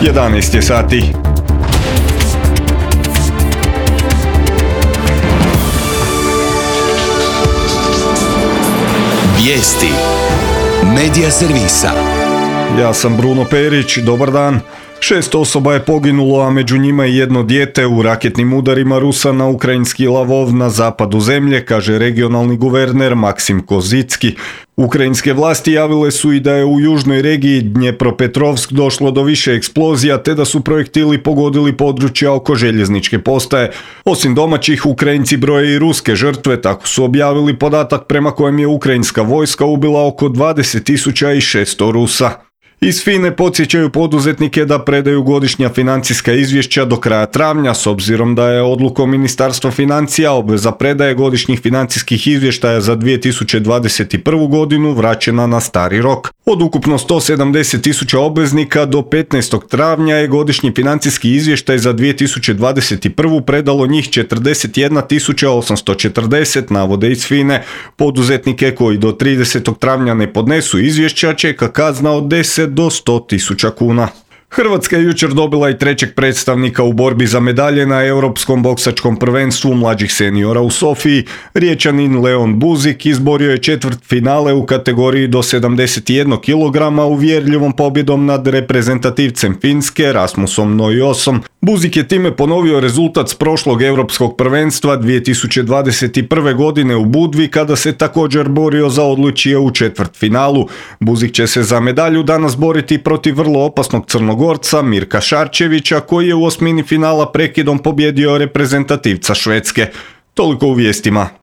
11 je sati. Vijesti Medija servisa. Ja sam Bruno Perić, dobar dan. 6 osoba je poginulo, a među njima i jedno dijete u raketnim udarima Rusa na ukrajinski Lavov na zapadu zemlje, kaže regionalni guverner Maksim Kozicki. Ukrajinske vlasti javile su i da je u južnoj regiji Dnjepropetrovsk došlo do više eksplozija, te da su projektili pogodili područja oko željezničke postaje. Osim domaćih, Ukrajinci broje i ruske žrtve, tako su objavili podatak prema kojem je ukrajinska vojska ubila oko 20.600 Rusa. Iz FINA-e podsjećaju poduzetnike da predaju godišnja financijska izvješća do kraja travnja, s obzirom da je odlukom Ministarstva financija obveza predaje godišnjih financijskih izvještaja za 2021. godinu vraćena na stari rok. Od ukupno 170.000 obveznika do 15. travnja je godišnji financijski izvještaj za 2021. predalo njih 41.840, navode iz FINA-e. Poduzetnike koji do 30. travnja ne podnesu izvješća čeka kazna od 10 do 100.000 kuna. Hrvatska je jučer dobila i trećeg predstavnika u borbi za medalje na Europskom boksačkom prvenstvu mlađih seniora u Sofiji. Riječanin Leon Buzik izborio je četvrtfinale u kategoriji do 71 kg uvjerljivom pobjedom nad reprezentativcem Finske Rasmusom Noiosom. Buzik je time ponovio rezultat s prošlog Europskog prvenstva 2021. godine u Budvi, kada se također borio za odličje u četvrtfinalu. Buzik će se za medalju danas boriti protiv vrlo opasnog Crnogorca Mirka Šarčevića, koji je u osmini finala prekidom pobjedio reprezentativca Švedske. Toliko u vijestima.